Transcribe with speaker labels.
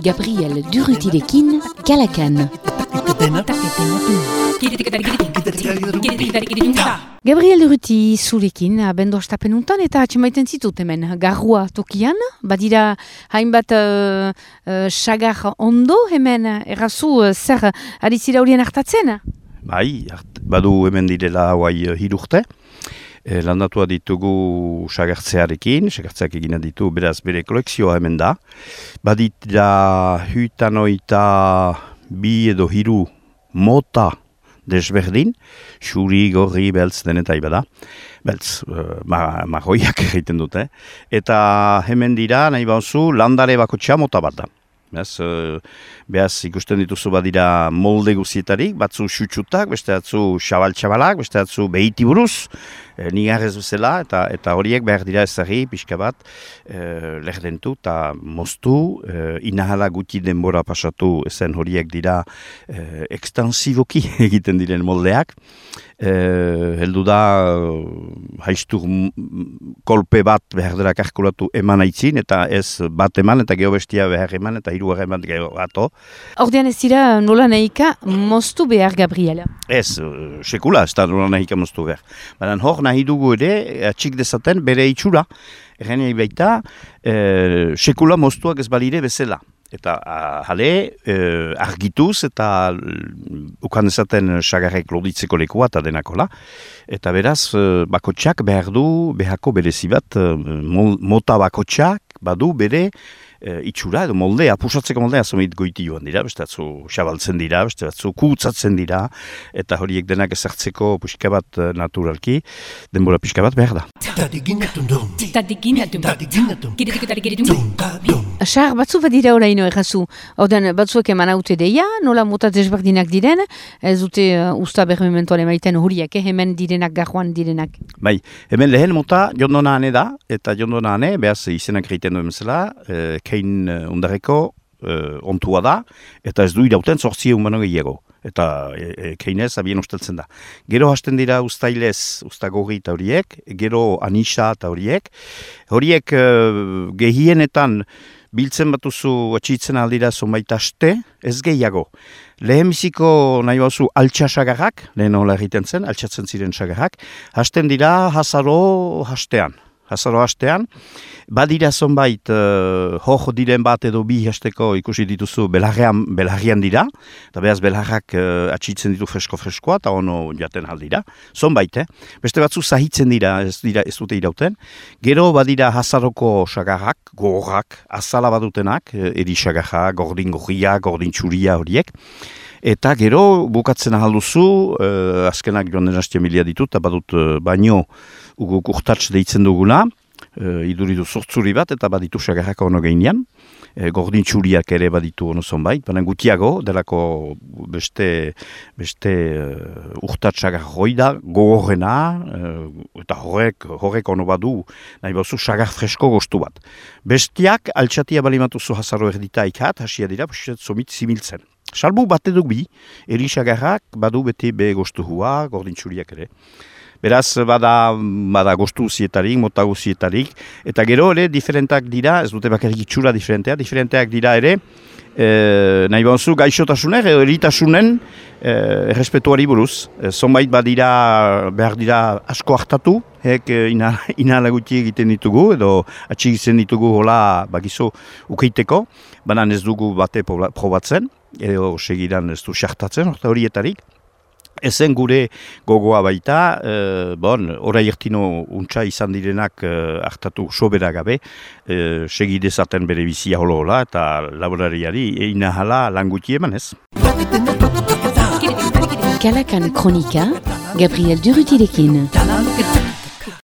Speaker 1: Gabriel Durrutirekin, Kalakan. Gabriel Durruti zurekin, abendu astapenuntan eta atxemaiten zitut hemen garrua tokian, badira hainbat sagar ondo hemen, errazu zer ari zira horien hartatzen?
Speaker 2: Bai, badu hemen direla hauai 3 urte. Landatua ditugu sagartzearekin, sagartzeak egina ditu, beraz bere kolekzioa hemen da. Badira 2 edo 3 mota desberdin, xuri, gorri, beltz, denetai bada. Beltz, marroiak egiten dute. Eta hemen dira, nahi bauzu, landare bakotxa mota bat da. Behaz ikusten dituzu badira molde guzietarik, batzu xutxutak, beste batzu xabal-xabalak, beste batzu behiti buruz, nigarrez bezala, eta horiek behar dira ezagri, pixka bat, lehdentu eta moztu, inahala guti denbora pasatu ezen horiek dira ekstansiboki egiten diren moldeak. Heldu da haiztur kolpe bat behar dira kalkulatu eman aitzin, eta ez bat eman, eta geho bestia behar eman, eta 3 eman geho gato.
Speaker 1: Ordean ez dira nola nahika moztu behar, Gabriela?
Speaker 2: Ez, sekula ez da nola nahika moztu behar. Baina hor nahi dugu ere, atxik dezaten bere itxura, errenei baita, sekula moztuak ez balire bezala. Eta jale, argituz eta ukan ezaten sagarrek loditzeko lekua eta denakola. Eta beraz, bakotxak behar du, behako berezi bat, mota bakotxak badu bere itxura edo moldea, pusatzeko moldea zomit goiti joan dira, beste batzu xabaltzen dira, beste batzu kutsatzen dira, eta horiek denak ezartzeko pixka bat naturalki, denbora pixka bat behar da.
Speaker 1: Sar, batzu badira oraino errazu, ordean batzuek eman haute deia, nola mota desberdinak diren, ez dute usta bermementoan emaiten horiek, hemen direnak, garroan direnak.
Speaker 2: Bai, hemen lehen mota jondona hane da, eta jondona hane, behaz izenak egiten duen zela, kein ondareko ontua da, eta ez du irauten 8 humano gehiago. Eta keinez abien usteltzen da. Gero hasten dira ustailez, ustagorri eta horiek, gero anisa eta horiek. Horiek gehienetan biltzen batuzu atxitzen aldira zonbait aste, ez gehiago. Lehenbiziko nahi bauzu altxasagarrak, lehen hola egiten zen, altxatzen ziren sagarrak, hasten dira hasaro hastean. Hasaro hastean, badira zonbait hor diren bat edo 2 hasteko ikusi dituzu belarrian dira, eta behaz belarrak atxitzen ditu fresko-freskoa, eta ono jaten aldira. Zonbait, beste batzu zahitzen dira, ez dute irauten. Gero badira hasaroko sagarrak, gogorrak, azala badutenak, erisagarrak, gordin gorria, gordin txuria horiek. Eta gero bukatzen ahalduzu, azkenak joan den hastia milia ditut, eta badut baino uguk urtatz deitzen duguna, iduridu sortzuri bat, eta baditu sagarraka ono geinean, gordin txuriak ere baditu ono zonbait, baina gutiago, delako beste urtatz sagar hoi da, gogorrena, eta horrek ono badu, nahi bauzu sagar fresko gostu bat. Bestiak, altxatia balimatuzu hasaro erdita ikat, hasia dira, zomit zimiltzen. Salbu bat eduk bi, erisagarrak badu beti be gostu hua, gordin txuriak ere. Beraz, bada gostu zietarik, mota guzietarik, eta gero ere diferentak dira, ez dute bakarrik itxura diferenteak dira ere, nahi bauzu gaixotasunek, eritasunen errespetuari buruz. Zonbait behar dira asko hartatu, inhala guti egiten ditugu, edo atxigitzen ditugu hola bagizu ukeiteko, baina ez dugu bate probatzen, edo segiran ez du xartatzen, horietarik. Ezen gure gogoa baita, orai ertino untxa izan direnak hartatu sobera gabe, segidezaten bere bizia holo-hola eta laborariari inahala lan guti eman ez.
Speaker 1: Kalakan kronika, Gabriel Durrutirekin.